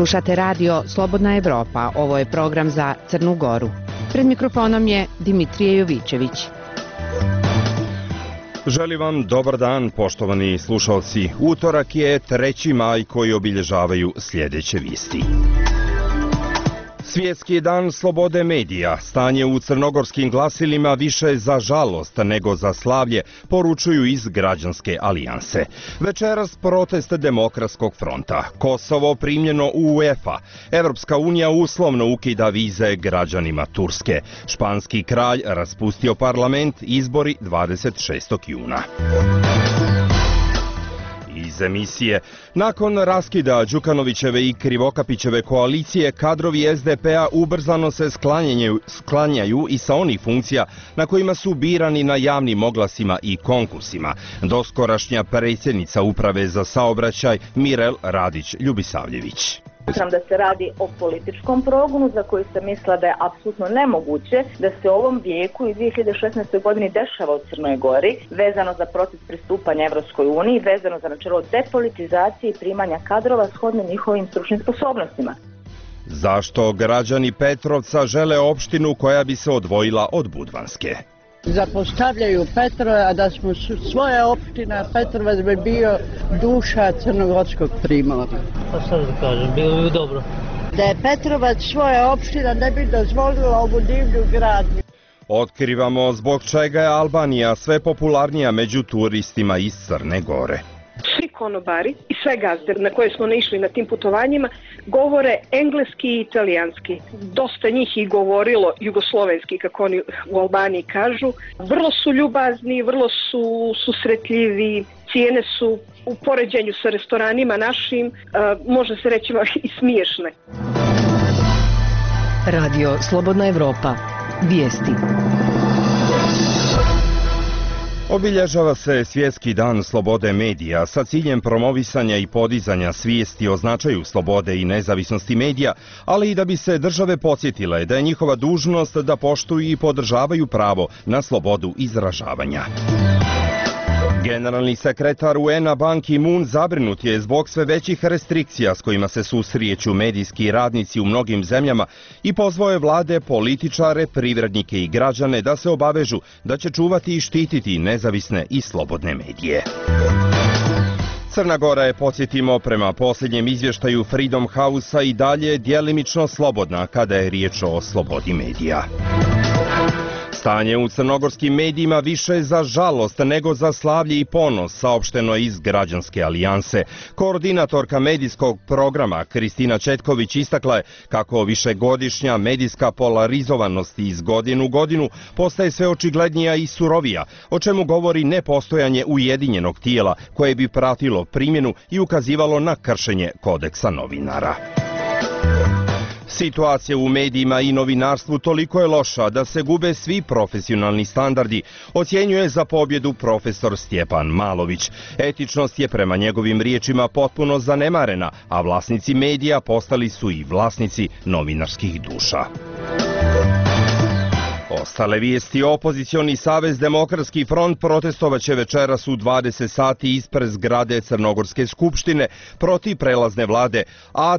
Slušate radio Slobodna Evropa, ovo je program za Crnu Goru. Pred mikrofonom je Dimitrije Jovićević. Želim vam dobar dan, poštovani slušalci. Utorak je 3. maj koji obilježavaju sljedeće vijesti. Svjetski dan slobode medija, stanje u crnogorskim glasilima više za žalost nego za slavlje, poručuju iz Građanske alijanse. Večeras protest Demokratskog fronta, Kosovo primljeno u UEFA, Evropska unija uslovno ukida vize građanima Turske, španski kralj raspustio parlament, izbori 26. juna. Iz emisije. Nakon raskida Đukanovićeve i Krivokapićeve koalicije, kadrovi SDP-a ubrzano se sklanjaju i sa onih funkcija na kojima su birani na javnim oglasima i konkursima. Doskorašnja predsjednica Uprave za saobraćaj Mirel Radić-Ljubisavljević. Smatram da se radi o političkom progonu za koji sam mislila da je apsolutno nemoguće da se u ovom vijeku i 2016. godini dešava u Crnoj Gori, vezano za proces pristupanja Evropskoj uniji, vezano za načelo depolitizacije i primanja kadrova shodno njihovim stručnim sposobnostima. Zašto građani Petrovca žele opštinu koja bi se odvojila od Budvanske? Zapostavljaju Petrova, a da smo svoja opština, Petrovac bi bio duša crnogorskog primorja. Pa sad da kažem, bilo bi dobro. Da je Petrovac svoja opština, ne bi dozvolila ovu divlju gradnju. Otkrivamo zbog čega je Albanija sve popularnija među turistima iz Crne Gore. Svi konobari i sve gazde na koje smo naišli na tim putovanjima govore engleski i italijanski. Dosta njih i govorilo jugoslovenski, kako oni u Albaniji kažu. Vrlo su ljubazni, vrlo su susretljivi, cijene su u poređenju sa restoranima našim, može se reći i smiješne. Radio Slobodna Evropa. Vijesti. Obilježava se Svjetski dan slobode medija sa ciljem promovisanja i podizanja svijesti o značaju slobode i nezavisnosti medija, ali i da bi se države podsjetile da je njihova dužnost da poštuju i podržavaju pravo na slobodu izražavanja. Generalni sekretar UN-a Ban Ki-moon zabrinut je zbog sve većih restrikcija s kojima se susreću medijski radnici u mnogim zemljama i pozvao je vlade, političare, privrednike i građane da se obavežu da će čuvati i štititi nezavisne i slobodne medije. Crna Gora je, podsjetimo, prema posljednjem izvještaju Freedom House-a i dalje djelimično slobodna kada je riječ o slobodi medija. Stanje u crnogorskim medijima više za žalost nego za slavlje i ponos, saopšteno iz Građanske alijanse. Koordinatorka medijskog programa Kristina Četković istakla je kako višegodišnja medijska polarizovanost iz godine u godinu postaje sve očiglednija i surovija, o čemu govori nepostojanje ujedinjenog tijela koje bi pratilo primjenu i ukazivalo na kršenje kodeksa novinara. Situacija u medijima i novinarstvu toliko je loša da se gube svi profesionalni standardi, ocjenjuje za pobjedu profesor Stjepan Malović. Etičnost je prema njegovim riječima potpuno zanemarena, a vlasnici medija postali su i vlasnici novinarskih duša. Ostale vijesti. Opozicioni savez Demokratski front protestovaće večeras u 20 sati ispred zgrade Crnogorske skupštine protiv prelazne vlade, a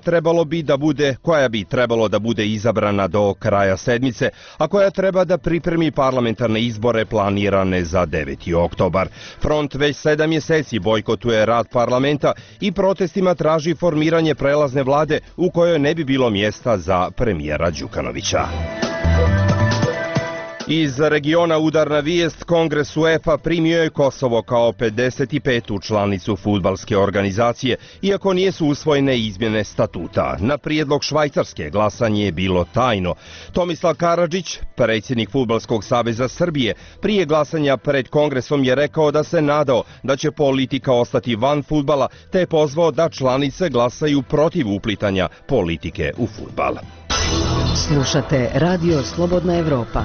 koja bi trebalo da bude izabrana do kraja sedmice, a koja treba da pripremi parlamentarne izbore planirane za 9. oktobar. Front već 7 mjeseci bojkotuje rad parlamenta i protestima traži formiranje prelazne vlade u kojoj ne bi bilo mjesta za premijera Đukanovića. Iz regiona udarna vijest, Kongres UEFA primio je Kosovo kao 55. članicu fudbalske organizacije, iako nisu usvojene izmjene statuta. Na prijedlog Švajcarske glasanje je bilo tajno. Tomislav Karadžić, predsjednik Fudbalskog saveza Srbije, prije glasanja pred Kongresom je rekao da se nadao da će politika ostati van fudbala, te je pozvao da članice glasaju protiv uplitanja politike u fudbal. Slušate Radio Slobodna Evropa.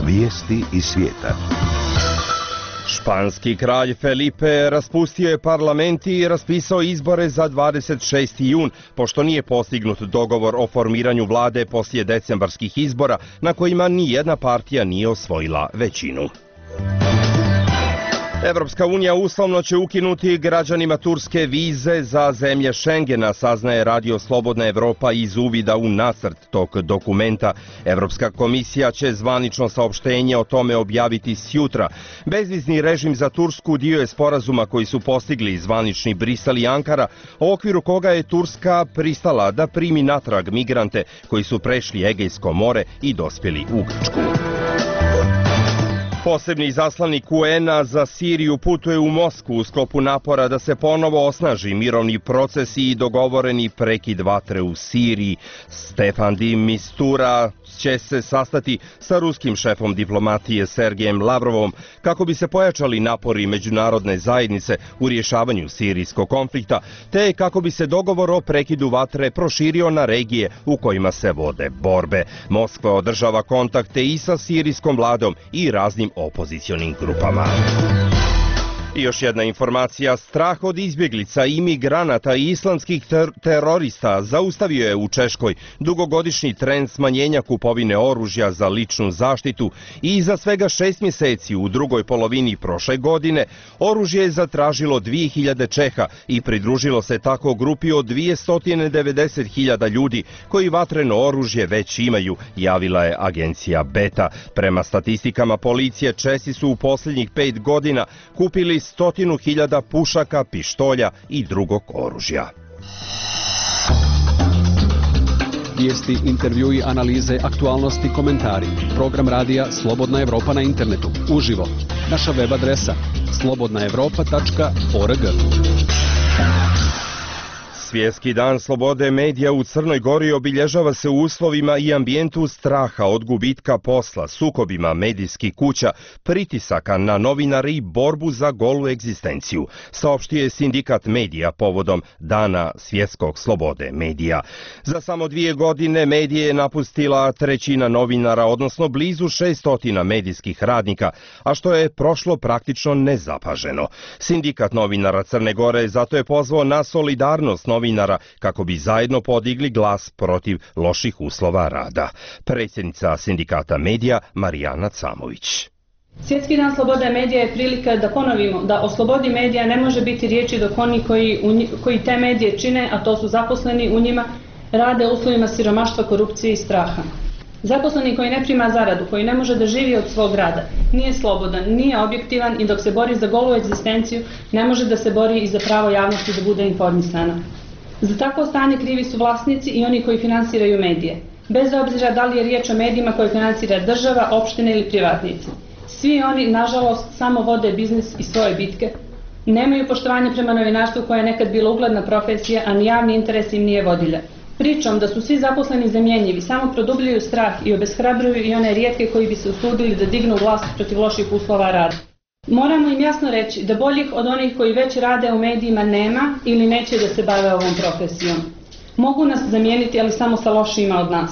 Vijesti iz svijeta. Španski kralj Felipe raspustio je parlament i raspisao izbore za 26. jun, pošto nije postignut dogovor o formiranju vlade poslije decembarskih izbora na kojima nijedna partija nije osvojila većinu. Evropska unija uslovno će ukinuti građanima Turske vize za zemlje Šengena, saznaje Radio Slobodna Evropa iz uvida u nacrt tog dokumenta. Evropska komisija će zvanično saopštenje o tome objaviti sjutra. Bezvizni režim za Tursku dio je sporazuma koji su postigli zvanični Brisel i Ankara, u okviru koga je Turska pristala da primi natrag migrante koji su prešli Egejsko more i dospjeli u Grčku. Posebni izaslanik UN-a za Siriju putuje u Moskvu u sklopu napora da se ponovo osnaži mirovni proces i dogovoreni prekid vatre u Siriji. Stefan de Mistura će se sastati sa ruskim šefom diplomatije Sergejem Lavrovom kako bi se pojačali napori međunarodne zajednice u rješavanju sirijskog konflikta, te kako bi se dogovor o prekidu vatre proširio na regije u kojima se vode borbe. Moskva održava kontakte i sa sirijskom vladom i raznim opozicionim grupama. I još jedna informacija, strah od izbjeglica, imigranata i islamskih terorista zaustavio je u Češkoj dugogodišnji trend smanjenja kupovine oružja za ličnu zaštitu i za svega 6 mjeseci u drugoj polovini prošle godine oružje je zatražilo 2000 Čeha i pridružilo se tako grupi od 290.000 ljudi koji vatreno oružje već imaju, javila je agencija Beta. Prema statistikama policije, Česi su u posljednjih 5 godina kupili 100.000 pušaka, pištolja i drugog oružja. Vijesti, intervjui, analize, aktualnosti, komentari. Program radija Slobodna Evropa na internetu. Uživo. Naša web adresa slobodnaevropa.org. Svjetski dan slobode medija u Crnoj Gori obilježava se u uslovima i ambijentu straha od gubitka posla, sukobima medijskih kuća, pritisaka na novinare i borbu za golu egzistenciju, saopštio je sindikat medija povodom Dana svjetskog slobode medija. Za samo 2 godine medije je napustila 1/3 novinara, odnosno blizu 600 medijskih radnika, a što je prošlo praktično nezapaženo. Sindikat novinara Crne Gore zato je pozvao na solidarnost novinara kako bi zajedno podigli glas protiv loših uslova rada. Predsjednica sindikata medija Marijana Camović. Svjetski dan slobode medija je prilika da ponovimo da o slobodi medija ne može biti riječi dok oni koji te medije čine, a to su zaposleni u njima, rade u uslovima siromaštva, korupcije i straha. Zaposleni koji ne prima zaradu, koji ne može da živi od svog rada, nije slobodan, nije objektivan i dok se bori za golu egzistenciju, ne može da se bori i za pravo javnosti da bude informisana. Za takvo stanje krivi su vlasnici i oni koji finansiraju medije, bez obzira da li je riječ o medijima koje finansira država, opštine ili privatnici. Svi oni, nažalost, samo vode biznis i svoje bitke, nemaju poštovanje prema novinarstvu koje je nekad bila ugledna profesija, a ni javni interes im nije vodilja. Pričom da su svi zaposleni zamjenjivi samo produbljuju strah i obeshrabruju i one rijetke koji bi se usudili da dignu glas protiv loših uslova rada. Moramo im jasno reći da boljih od onih koji već rade u medijima nema ili neće da se bave ovom profesijom. Mogu nas zamijeniti, ali samo sa lošijima od nas.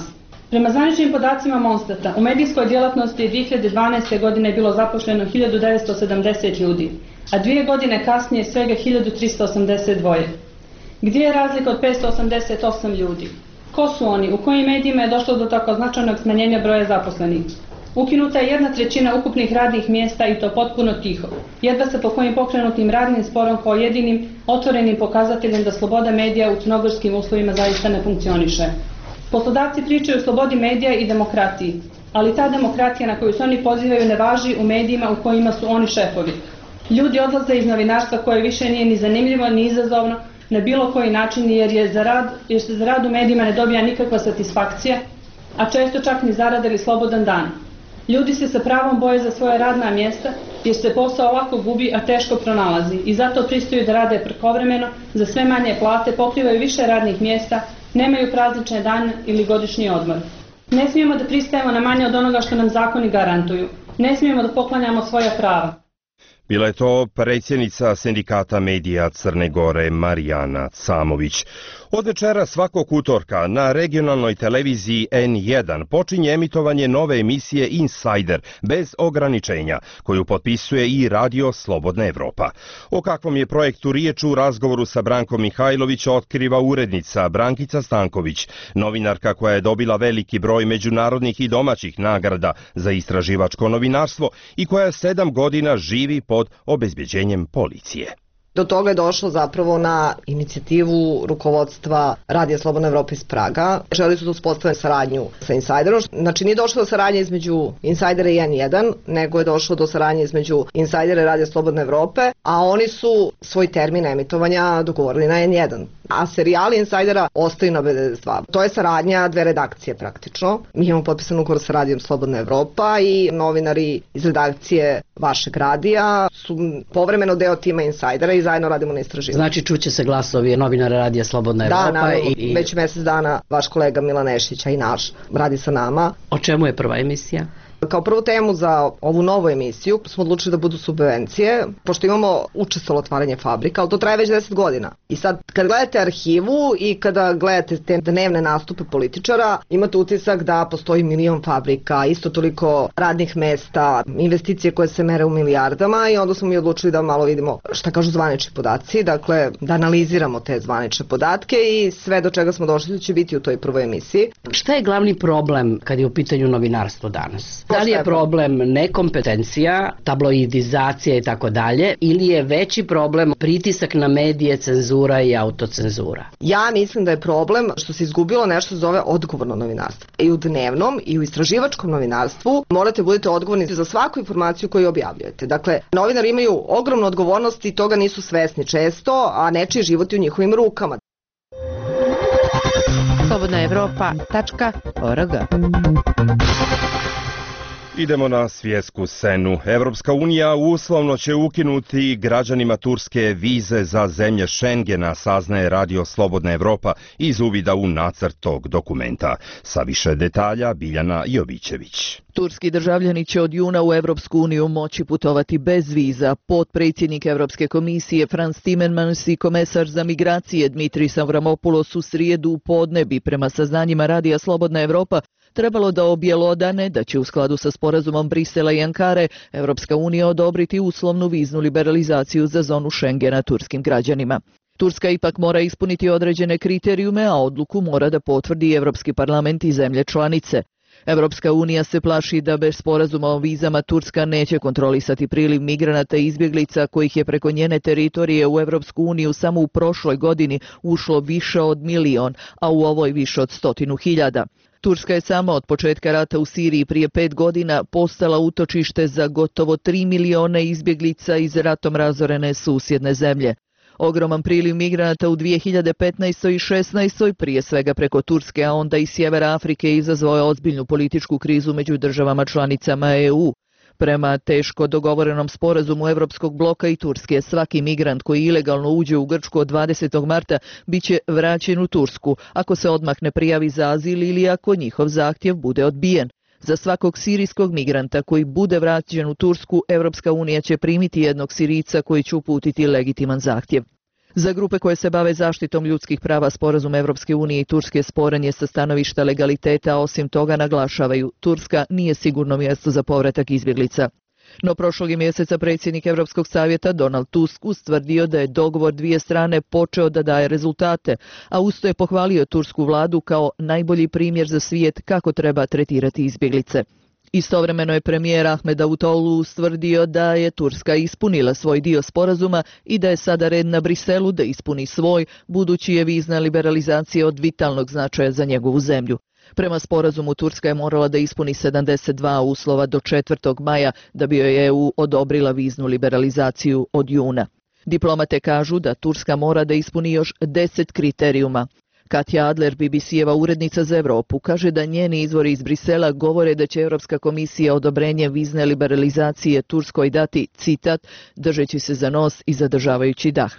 Prema zvaničnim podacima Monstata, u medijskoj djelatnosti je 2012. godine bilo zaposleno 1970 ljudi, a 2 godine kasnije svega 1382. Gdje je razlika od 588 ljudi? Ko su oni? U kojim medijima je došlo do tako značajnog smanjenja broja zaposlenih? Ukinuta je 1/3 ukupnih radnih mjesta i to potpuno tiho. Jedva se po kojim pokrenutim radnim sporom kao jedinim otvorenim pokazateljem da sloboda medija u crnogorskim uslovima zaista ne funkcioniše. Poslodavci pričaju o slobodi medija i demokratiji, ali ta demokratija na koju se oni pozivaju ne važi u medijima u kojima su oni šefovi. Ljudi odlaze iz novinarstva koje više nije ni zanimljivo ni izazovno na bilo koji način jer se za rad u medijima ne dobija nikakva satisfakcija, a često čak ni zarada ili slobodan dan. Ljudi se sa pravom boje za svoje radna mjesta jer se posao lako gubi, a teško pronalazi i zato pristaju da rade prekovremeno, za sve manje plate, pokrivaju više radnih mjesta, nemaju praznične dane ili godišnji odmor. Ne smijemo da pristajemo na manje od onoga što nam zakoni garantuju. Ne smijemo da poklanjamo svoja prava. Bila je to predsjednica sindikata medija Crne Gore Marijana Camović. Od večera svakog utorka na regionalnoj televiziji N1 počinje emitovanje nove emisije Insider bez ograničenja, koju potpisuje i Radio Slobodna Evropa. O kakvom je projektu riječ u razgovoru sa Brankom Mihajlović otkriva urednica Brankica Stanković, novinarka koja je dobila veliki broj međunarodnih i domaćih nagrada za istraživačko novinarstvo i koja 7 godina živi pod obezbeđenjem policije. Do toga je došlo zapravo na inicijativu rukovodstva Radija Slobodna Evropa iz Praga. Želi su da uspostave saradnju sa Insiderom. Znači nije došlo do saradnje između Insidera i N1, nego je došlo do saradnje između Insidera i Radija Slobodna Evrope, a oni su svoj termin emitovanja dogovorili na N1. A serijali Insidera ostaju na B92. To je saradnja dve redakcije praktično. Mi imamo potpisan ugovor sa Radijom Slobodna Evropa i novinari iz redakcije vašeg radija su povremeno deo tima Insidera i zajedno radimo na istraživanju. Znači čuće se glasovi novinara Radija Slobodna Evropa? Da, naravno, već mjesec dana vaš kolega Milan Nešić, a i naš, radi sa nama. O čemu je prva emisija? Kao prvu temu za ovu novu emisiju smo odlučili da budu subvencije, pošto imamo učestvovalo otvaranje fabrika, ali to traje već 10 godina. I sad, kad gledate arhivu i kada gledate te dnevne nastupe političara, imate utisak da postoji 1 milion fabrika, isto toliko radnih mesta, investicije koje se mere u milijardama i onda smo mi odlučili da malo vidimo šta kažu zvanični podaci, dakle da analiziramo te zvanične podatke i sve do čega smo došli će biti u toj prvoj emisiji. Šta je glavni problem kad je u pitanju novinarstvo danas? Da li je problem nekompetencija, tabloidizacija i tako dalje, ili je veći problem pritisak na medije, cenzura i autocenzura? Ja mislim da je problem što se izgubilo nešto zove odgovorno novinarstvo. I u dnevnom i u istraživačkom novinarstvu morate budete odgovorni za svaku informaciju koju objavljujete. Dakle, novinari imaju ogromnu odgovornost i toga nisu svesni često, a nečiji život je u njihovim rukama. slobodnaevropa.org. Idemo na svjetsku scenu. Evropska unija uslovno će ukinuti građanima Turske vize za zemlje Schengena, saznaje Radio Slobodna Evropa iz uvida u nacrt tog dokumenta. Sa više detalja Biljana Jovićević. Turski državljani će od juna u Evropsku uniju moći putovati bez viza. Potpredsjednik Evropske komisije Frans Timmermans i komesar za migracije Dmitris Avramopoulos u srijedu u podne bi prema saznanjima Radija Slobodna Evropa trebalo da objelodane da će u skladu sa sporazumom Brisela i Ankare Evropska unija odobriti uslovnu viznu liberalizaciju za zonu Schengena turskim građanima. Turska ipak mora ispuniti određene kriterijume, a odluku mora da potvrdi Evropski parlament i zemlje članice. Evropska unija se plaši da bez sporazuma o vizama Turska neće kontrolisati priliv migranata i izbjeglica kojih je preko njene teritorije u Evropsku uniju samo u prošloj godini ušlo više od 1 milion, a u ovoj više od 100.000. Turska je sama od početka rata u Siriji prije 5 godina postala utočište za gotovo 3 miliona izbjeglica iz ratom razorene susjedne zemlje. Ogroman priliv migranata u 2015. i 2016. prije svega preko Turske, a onda i sjevera Afrike izazvao je ozbiljnu političku krizu među državama članicama EU. Prema teško dogovorenom sporazumu Evropskog bloka i Turske, svaki migrant koji ilegalno uđe u Grčku od 20. marta biće vraćen u Tursku ako se odmah ne prijavi za azil ili ako njihov zahtjev bude odbijen. Za svakog sirijskog migranta koji bude vraćen u Tursku, Evropska unija će primiti jednog Sirijca koji će uputiti legitiman zahtjev. Za grupe koje se bave zaštitom ljudskih prava sporazum Evropske unije i Turske sporan je sa stanovišta legaliteta, a osim toga naglašavaju, Turska nije sigurno mjesto za povratak izbjeglica. No prošlog je mjeseca predsjednik Europskog savjeta Donald Tusk ustvrdio da je dogovor dvije strane počeo da daje rezultate, a usto je pohvalio tursku vladu kao najbolji primjer za svijet kako treba tretirati izbjeglice. Istovremeno je premijer Ahmed Davutoglu ustvrdio da je Turska ispunila svoj dio sporazuma i da je sada red na Briselu da ispuni svoj, budući je vizna liberalizacija od vitalnog značaja za njegovu zemlju. Prema sporazumu Turska je morala da ispuni 72 uslova do 4. maja da bi joj EU odobrila viznu liberalizaciju od juna. Diplomate kažu da Turska mora da ispuni još 10 kriterijuma. Katja Adler, BBC-eva urednica za Europu, kaže da njeni izvori iz Brisela govore da će Europska komisija odobrenje vizne liberalizacije Turskoj dati, citat, držeći se za nos i zadržavajući dah.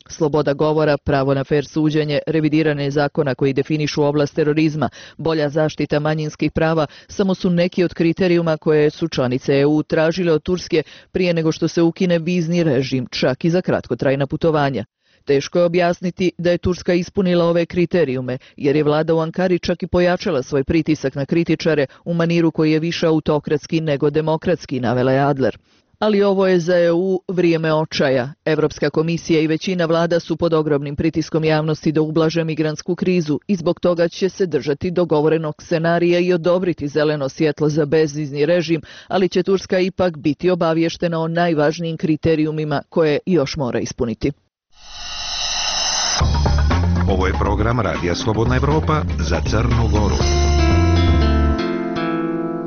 Sloboda govora, pravo na fer suđenje, revidiranje zakona koji definišu oblast terorizma, bolja zaštita manjinskih prava samo su neki od kriterijuma koje su članice EU tražile od Turske prije nego što se ukine vizni režim, čak i za kratkotrajna putovanja. Teško je objasniti da je Turska ispunila ove kriterijume, jer je vlada u Ankari čak i pojačala svoj pritisak na kritičare u maniru koji je više autokratski nego demokratski, navela je Adler. Ali ovo je za EU vrijeme očaja. Evropska komisija i većina vlada su pod ogromnim pritiskom javnosti da ublaže migrantsku krizu i zbog toga će se držati dogovorenog scenarija i odobriti zeleno svjetlo za bezvizni režim, ali će Turska ipak biti obavještena o najvažnijim kriterijumima koje još mora ispuniti. Ovo je program Radija Slobodna Evropa za Crnu Goru.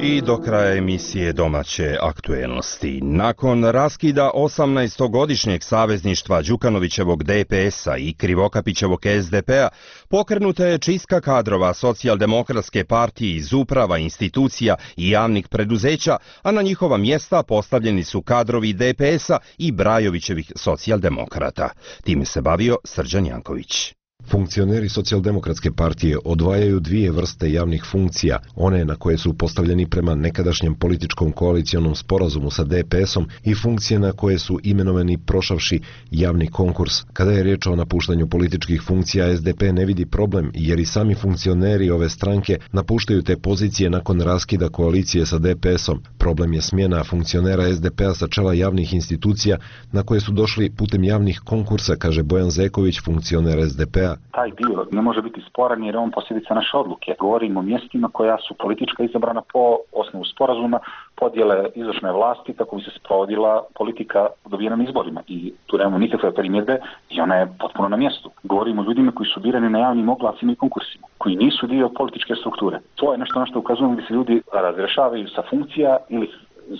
I do kraja emisije domaće aktuelnosti. Nakon raskida 18-godišnjeg savezništva Đukanovićevog DPS-a i Krivokapićevog SDP-a, pokrenuta je čistka kadrova Socijaldemokratske partije iz uprava, institucija i javnih preduzeća, a na njihova mjesta postavljeni su kadrovi DPS-a i Brajovićevih socijaldemokrata. Time se bavio Srđan Janković. Funkcioneri Socijaldemokratske partije odvajaju dvije vrste javnih funkcija, one na koje su postavljeni prema nekadašnjem političkom koalicijonom sporazumu sa DPS-om i funkcije na koje su imenovani prošavši javni konkurs. Kada je riječ o napuštanju političkih funkcija, SDP ne vidi problem, jer i sami funkcioneri ove stranke napuštaju te pozicije nakon raskida koalicije sa DPS-om. Problem je smjena funkcionera SDP-a sa čela javnih institucija na koje su došli putem javnih konkursa, kaže Bojan Zeković, funkcioner SDP-a. Taj dio ne može biti sporan jer je on posljedica naše odluke. Govorimo o mjestima koja su politička izabrana po osnovu sporazuma, podjele izvršne vlasti kako bi se sprovodila politika dobijena na izborima. I tu nemamo nikakve primjedbe i ona je potpuno na mjestu. Govorimo o ljudima koji su birani na javnim oglasima i konkursima, koji nisu dio političke strukture. To je nešto na što ukazujemo da se ljudi razrješavaju sa funkcija ili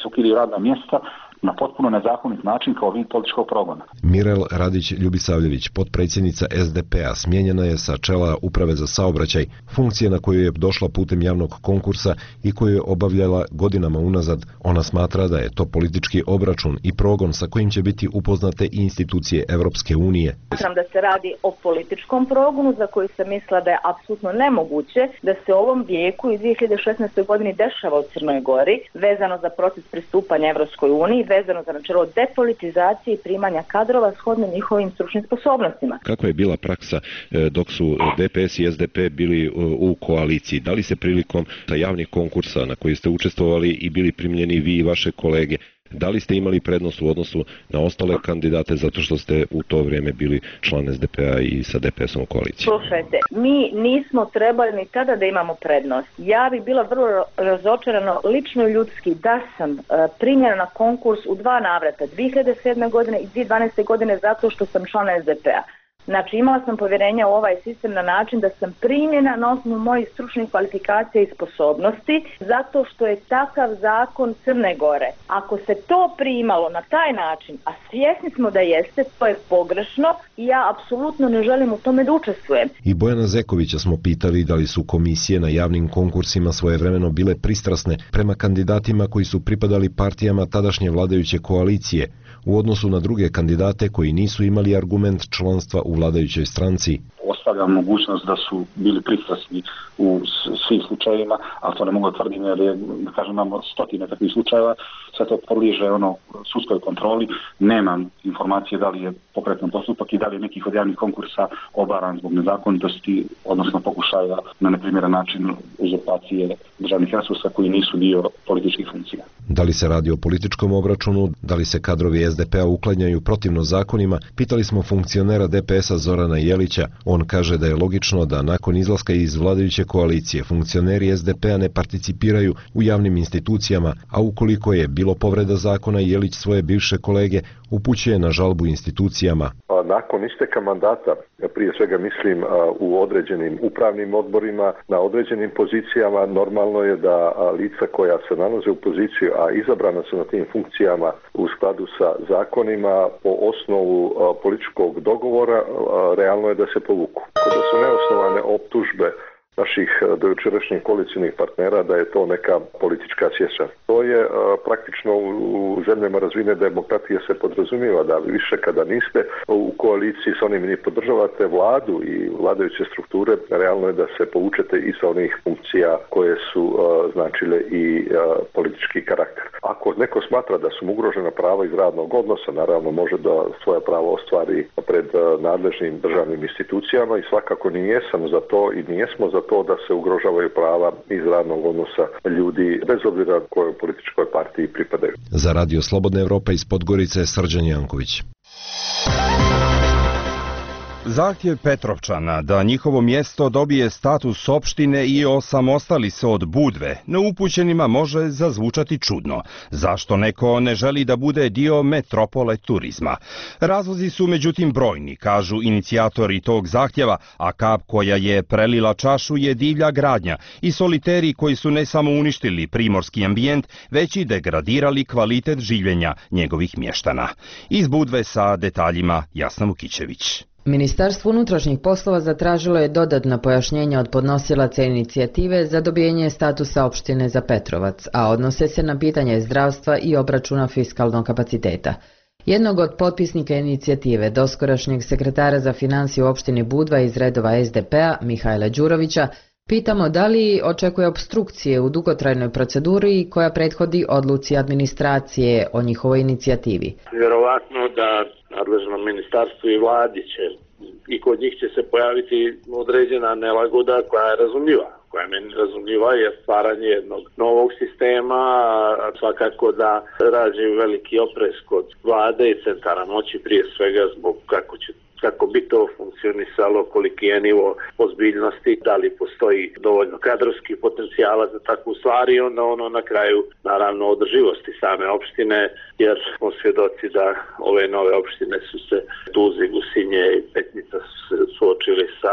se ukidaju radna mjesta na potpuno nezakonit način kao vid političkog progona. Mirel Radić-Ljubisavljević, potpredsjednica SDP-a, smijenjena je sa čela Uprave za saobraćaj, funkcije na koju je došla putem javnog konkursa i koju je obavljala godinama unazad. Ona smatra da je to politički obračun i progon sa kojim će biti upoznate i institucije Evropske unije. Smatram da se radi o političkom progonu za koji sam mislila da je apsolutno nemoguće da se u ovom vijeku i 2016. godini dešava u Crnoj Gori, vezano za proces pristupanja Evropskoj uniji, vezano za načelo depolitizacije i primanja kadrova shodno njihovim stručnim sposobnostima. Kakva je bila praksa dok su DPS i SDP bili u koaliciji? Da li se prilikom javnih konkursa na koji ste učestvovali i bili primljeni vi i vaše kolege, da li ste imali prednost u odnosu na ostale kandidate zato što ste u to vrijeme bili član SDP-a i sa DPS-om u koaliciji? Slušajte, mi nismo trebali ni tada da imamo prednost. Ja bi bila vrlo razočarana lično ljudski da sam primljena na konkurs u 2 navrata, 2007. godine i 2012. godine zato što sam član SDP-a. Znači imala sam povjerenja u ovaj sistem na način da sam primljena na osnovu mojih stručnih kvalifikacija i sposobnosti zato što je takav zakon Crne Gore. Ako se to primalo na taj način, a svjesni smo da jeste, to je pogrešno i ja apsolutno ne želim u tome da učestvujem. I Bojana Zekovića smo pitali da li su komisije na javnim konkursima svojevremeno bile pristrasne prema kandidatima koji su pripadali partijama tadašnje vladajuće koalicije u odnosu na druge kandidate koji nisu imali argument članstva u vladajućoj stranci. Ostavljam mogućnost da su bili pristrasni u svim slučajevima, ali to ne mogu tvrditi jer je, da kažem, imamo stotine takvih slučajeva, sve to podliježe sudskoj kontroli, nemam informacije da li je pokretan postupak i da li je nekih od javnih konkursa obaran zbog nezakonitosti, odnosno pokušaja na neprimjeran način uzurpacije državnih resursa koji nisu dio političkih funkcija. Da li se radi o političkom obračunu, da li se kadrovi SDP-a uklanjaju protivno zakonima, pitali smo funkcionera DPS-a Zorana Jelića. On kaže da je logično da nakon izlaska iz vladajuće koalicije funkcioneri SDP-a ne participiraju u javnim institucijama, a ukoliko je bilo povreda zakona, Jelić svoje bivše kolege upućuje na žalbu institucijama. Nakon isteka mandata, prije svega mislim u određenim upravnim odborima, na određenim pozicijama, normalno je da lica koja se nalaze u poziciju, a izabrana su na tim funkcijama u skladu sa zakonima po osnovu političkog dogovora, realno je da se povuku. Kada su neosnovane optužbe naših dojučerašnjih koalicijnih partnera da je to neka politička sječa. To je praktično u zemljama razvijene demokratije se podrazumijeva da više kada niste u koaliciji sa onim ni podržavate vladu i vladajuće strukture, realno je da se poučete i sa onih funkcija koje su značile i politički karakter. Ako neko smatra da su mu ugrožena prava iz radnog odnosa, naravno može da svoja prava ostvari pred nadležnim državnim institucijama i svakako nijesam za to i nijesmo za to da se ugrožavaju prava iz radnog odnosa ljudi bez obzira kojoj političkoj partiji pripadaju. Za Radio Slobodna Evropa iz Podgorice Srđan Janković. Zahtjev Petrovčana da njihovo mjesto dobije status opštine i osamostali se od Budve, neupućenima može zazvučati čudno. Zašto neko ne želi da bude dio metropole turizma? Razlozi su međutim brojni, kažu inicijatori tog zahtjeva, a kap koja je prelila čašu je divlja gradnja i soliteri koji su ne samo uništili primorski ambijent, već i degradirali kvalitet življenja njegovih mještana. Iz Budve sa detaljima Jasna Vukićević. Ministarstvo unutrašnjih poslova zatražilo je dodatna pojašnjenja od podnosilaca inicijative za dobijenje statusa opštine za Petrovac, a odnose se na pitanje zdravstva i obračuna fiskalnog kapaciteta. Jednog od potpisnika inicijative, doskorašnjeg sekretara za financije u opštini Budva iz redova SDP-a, Mihajla Đurovića, pitamo da li očekuje opstrukcije u dugotrajnoj proceduri koja prethodi odluci administracije o njihovoj inicijativi. Vjerovatno da nadležno ministarstvo i vladi će i kod njih će se pojaviti određena nelagoda koja je razumljiva. Koja je meni razumljiva je stvaranje jednog novog sistema, a svakako da rađe veliki oprez kod vlade i centara moći prije svega zbog kako bi to funkcionisalo, koliki je nivo ozbiljnosti, da li postoji dovoljno kadrovskih potencijala za takvu stvar i onda ono na kraju naravno održivosti same opštine, jer smo svjedoci da ove nove opštine su se Tuzi, Gusinje i Petnica suočili sa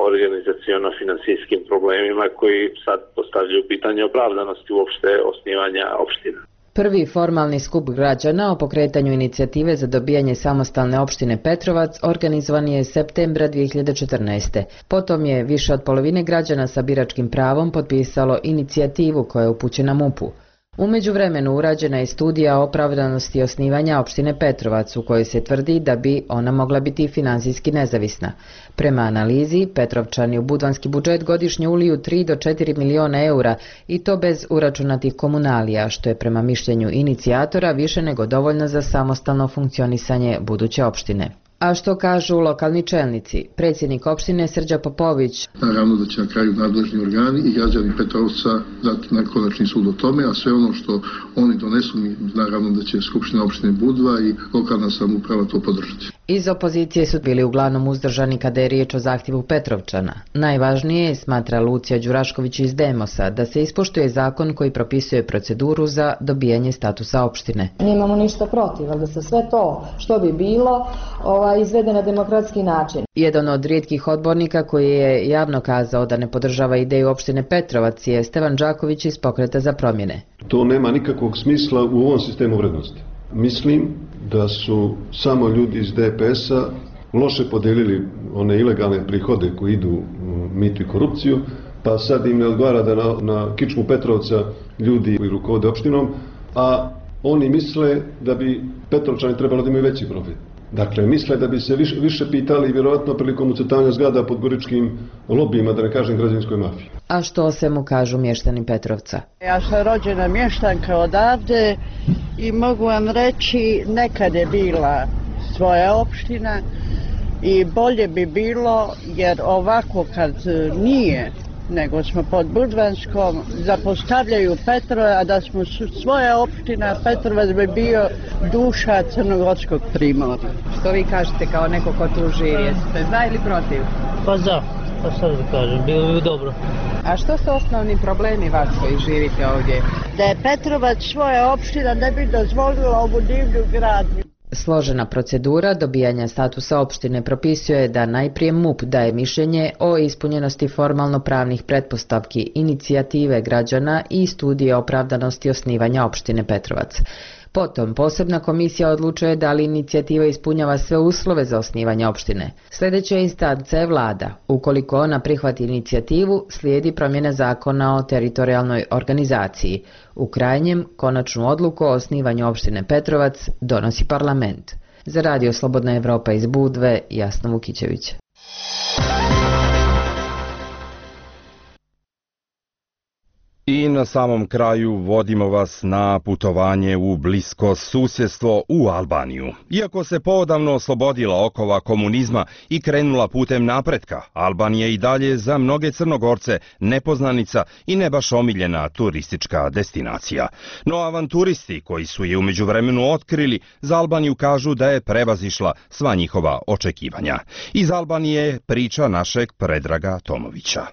organizaciono-finansijskim problemima koji sad postavljaju pitanje opravdanosti uopšte osnivanja opština. Prvi formalni skup građana o pokretanju inicijative za dobijanje samostalne opštine Petrovac organizovan je septembra 2014. Potom je više od polovine građana sa biračkim pravom potpisalo inicijativu koja je upućena MUP-u. U međuvremenu urađena je studija opravdanosti osnivanja opštine Petrovac u kojoj se tvrdi da bi ona mogla biti finansijski nezavisna. Prema analizi, Petrovčani u budvanski budžet godišnje uliju 3 do 4 miliona eura i to bez uračunatih komunalija, što je prema mišljenju inicijatora više nego dovoljno za samostalno funkcionisanje buduće opštine. A što kažu lokalni čelnici? Predsjednik opštine Srđa Popović. Naravno da će na kraju nadležni organi i građani Petrovca dati na konačni sud o tome, a sve ono što oni donesu, naravno da će Skupština opštine Budva i lokalna samouprava to podržati. Iz opozicije su bili uglavnom uzdržani kada je riječ o zahtjevu Petrovčana. Najvažnije je, smatra Lucija Đurašković iz Demosa, da se ispoštuje zakon koji propisuje proceduru za dobijanje statusa opštine. Nemamo ništa protiv, ali da se sve to što bi bilo izvede na demokratski način. Jedan od rijetkih odbornika koji je javno kazao da ne podržava ideju opštine Petrovac je Stevan Đaković iz Pokreta za promjene. To nema nikakvog smisla u ovom sistemu vrednosti. Mislim da su samo ljudi iz DPS-a loše podijelili one ilegalne prihode koji idu u mitu i korupciju, pa sad im ne odgovara da na kičmu Petrovca ljudi koji rukovode opštinom, a oni misle da bi Petrovčani trebalo da imaju veći profit. Dakle, misle da bi se više pitali vjerojatno prilikom ucrtavanja zgrada podgoričkim lobijima, da ne kažem građevinskoj mafiji. A što o svemu kažu mještani Petrovca? Ja sam rođena mještanka odavde i mogu vam reći, nekad je bila svoja opština i bolje bi bilo, jer ovako kad nije, nego smo pod Budvanskom, zapostavljaju Petrove, a da smo svoja opština, Petrovac bi bio duša crnogorskog primorja. Što vi kažete kao neko ko tu živi, jeste za ili protiv? Pa za, pa sad da kažem, bilo bi dobro. A što su osnovni problemi vas koji živite ovdje? Da je Petrovac svoja opština ne bi dozvolila ovu divlju gradnju. Složena procedura dobijanja statusa opštine propisuje da najprije MUP daje mišljenje o ispunjenosti formalno pravnih pretpostavki inicijative građana i studije opravdanosti osnivanja opštine Petrovac. Potom, posebna komisija odlučuje da li inicijativa ispunjava sve uslove za osnivanje opštine. Sljedeća instanca je vlada. Ukoliko ona prihvati inicijativu, slijedi promjena zakona o teritorijalnoj organizaciji. U krajnjem, konačnu odluku o osnivanju opštine Petrovac donosi parlament. Za Radio Slobodna Evropa iz Budve, Jasna Vukićević. I na samom kraju vodimo vas na putovanje u blisko susjedstvo u Albaniju. Iako se poodavno oslobodila okova komunizma i krenula putem napretka, Albanija i dalje za mnoge Crnogorce nepoznanica i ne baš omiljena turistička destinacija. No avanturisti koji su je u međuvremenu otkrili za Albaniju kažu da je prevazišla sva njihova očekivanja. Iz Albanije je priča našeg Predraga Tomovića.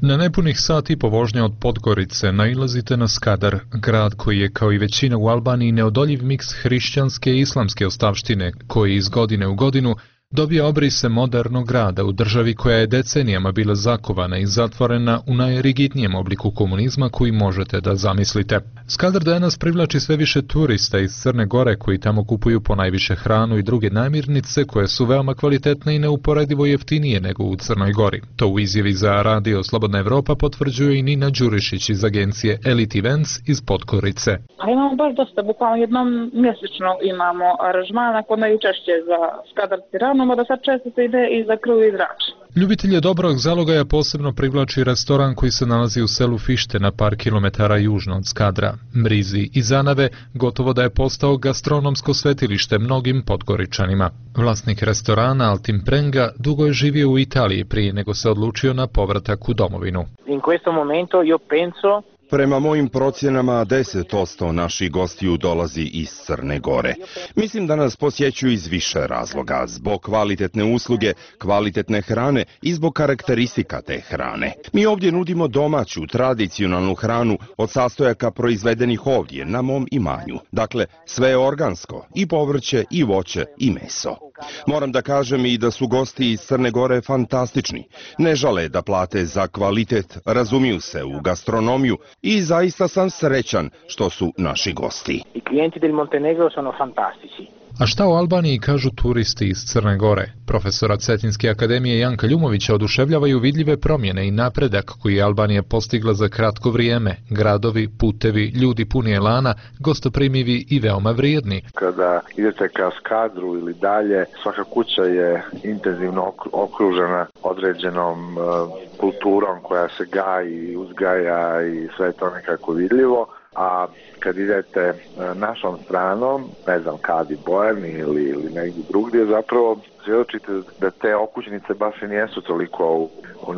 Na nepunih sat i po vožnje od Podgorice nailazite na Skadar, grad koji je kao i većina u Albaniji neodoljiv miks hrišćanske i islamske ostavštine, koji iz godine u godinu dobija obrise modernog grada u državi koja je decenijama bila zakovana i zatvorena u najrigidnijem obliku komunizma koji možete da zamislite. Skadar danas privlači sve više turista iz Crne Gore koji tamo kupuju ponajviše hranu i druge namirnice koje su veoma kvalitetne i neuporedivo jeftinije nego u Crnoj Gori. To u izjavi za Radio Slobodna Evropa potvrđuje i Nina Đurišić iz agencije Elite Events iz Podgorice. A imamo baš dosta, bukvalno jednom mjesečno imamo aranžmana kod najčešće za Skadar Tiranu, da sad često se ide i za Krv i Drač. Ljubitelje dobrog zalogaja posebno privlači restoran koji se nalazi u selu Fište na par kilometara južno od Skadra. Mrizi iz Anave gotovo da je postao gastronomsko svetilište mnogim Podgoričanima. Vlasnik restorana Altim Prenga dugo je živio u Italiji prije nego se odlučio na povratak u domovinu. In questo momento io penso Prema mojim procjenama 10% naših gostiju dolazi iz Crne Gore. Mislim da nas posjećuju iz više razloga, zbog kvalitetne usluge, kvalitetne hrane i zbog karakteristika te hrane. Mi ovdje nudimo domaću, tradicionalnu hranu od sastojaka proizvedenih ovdje na mom imanju. Dakle, sve je organsko, i povrće, i voće, i meso. Moram da kažem i da su gosti iz Crne Gore fantastični. Ne žale da plate za kvalitet, razumiju se u gastronomiju i zaista sam srećan što su naši gosti. I klijenti del Montenegro sono fantastici. A šta o Albaniji kažu turisti iz Crne Gore? Profesora Cetinske akademije Janka Ljumovića oduševljavaju vidljive promjene i napredak koji je Albanija postigla za kratko vrijeme. Gradovi, putevi, ljudi puni elana, gostoprimivi i veoma vrijedni. Kada idete ka Skadru ili dalje, svaka kuća je intenzivno okružena određenom kulturom koja se gaji, uzgaja i sve je to nekako vidljivo. A kad idete našom stranom, ne znam, Kadi Bojani ili negdje drugdje, zapravo svjedočite da te okućnice baš i nijesu toliko u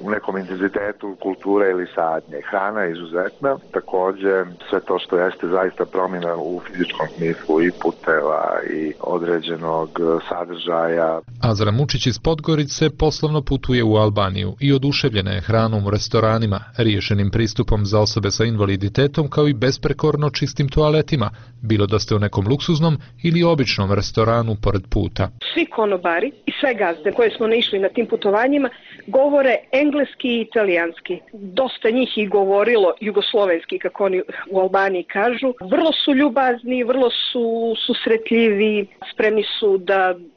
nekom intenzitetu kulture ili sadnje. Hrana je izuzetna, također sve to što jeste zaista promjena u fizičkom smislu i puteva i određenog sadržaja. Azra Mučić iz Podgorice poslovno putuje u Albaniju i oduševljena je hranom u restoranima, riješenim pristupom za osobe sa invaliditetom kao i besprekorno čistim toaletima, bilo da ste u nekom luksuznom ili običnom restoranu pored puta. Svi konobari i sve gazde koje smo naišli na tim putovanjima govore engleski i italijanski. Dosta njih i govorilo jugoslovenski, kako oni u Albaniji kažu. Vrlo su ljubazni, vrlo su susretljivi, spremni su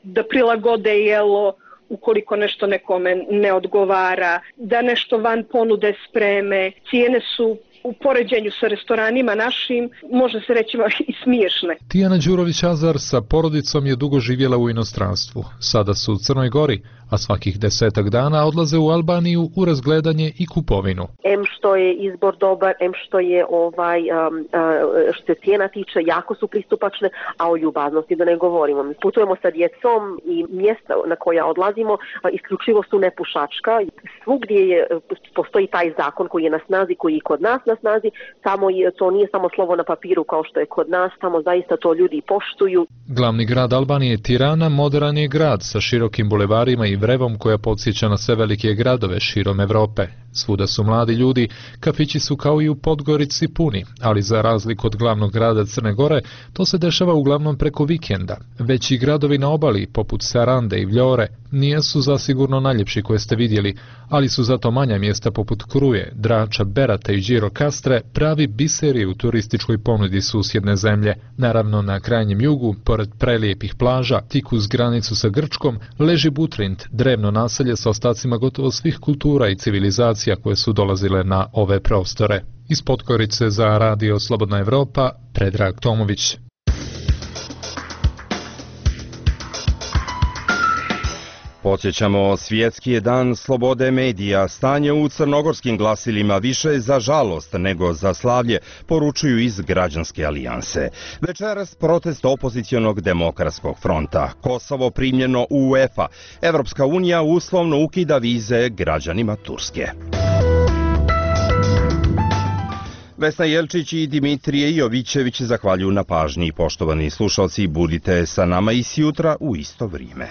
da prilagode jelo ukoliko nešto nekome ne odgovara, da nešto van ponude spreme. Cijene su u poređenju sa restoranima našim, može se reći i smiješne. Tijana Đurović-Azar sa porodicom je dugo živjela u inostranstvu. Sada su u Crnoj Gori, a svakih 10 dana odlaze u Albaniju u razgledanje i kupovinu. Em što je izbor dobar, em što je što se cijena tiče, jako su pristupačne, a o ljubaznosti da ne govorimo. Mi putujemo sa djecom i mjesta na koja odlazimo isključivo su nepušačka. Svugdje postoji taj zakon koji je na snazi, koji je kod nas na snazi, samo to nije samo slovo na papiru kao što je kod nas, samo zaista to ljudi poštuju. Glavni grad Albanije, Tirana, moderan je grad sa širokim bulevarima i vrevom koja podsjeća na sve velike gradove širom Evrope. Svuda su mladi ljudi, kafići su kao i u Podgorici puni, ali za razliku od glavnog grada Crne Gore, to se dešava uglavnom preko vikenda. Veći gradovi na obali, poput Sarande i Vljore, nijesu zasigurno najljepši koje ste vidjeli, ali su zato manja mjesta poput Kruje, Drača, Berata i Đirokastre pravi biseri u turističkoj ponudi susjedne zemlje. Naravno, na krajnjem jugu, pored prelijepih plaža, tik uz granicu sa Grčkom, leži Butrint, drevno naselje sa ostacima gotovo svih kultura i civilizacija koje su dolazile na ove prostore. Iz Podgorice za Radio Slobodna Evropa, Predrag Tomović. Podsjećamo, svjetski je dan slobode medija. Stanje u crnogorskim glasilima više je za žalost nego za slavlje, poručuju iz Građanske alijanse. Večeras protest opozicionog demokratskog fronta. Kosovo primljeno u UEFA. Evropska unija uslovno ukida vize građanima Turske. Vesna Jelčić i Dimitrije Jovićević zahvaljuju na pažnji. Poštovani slušalci, budite sa nama i sjutra u isto vrijeme.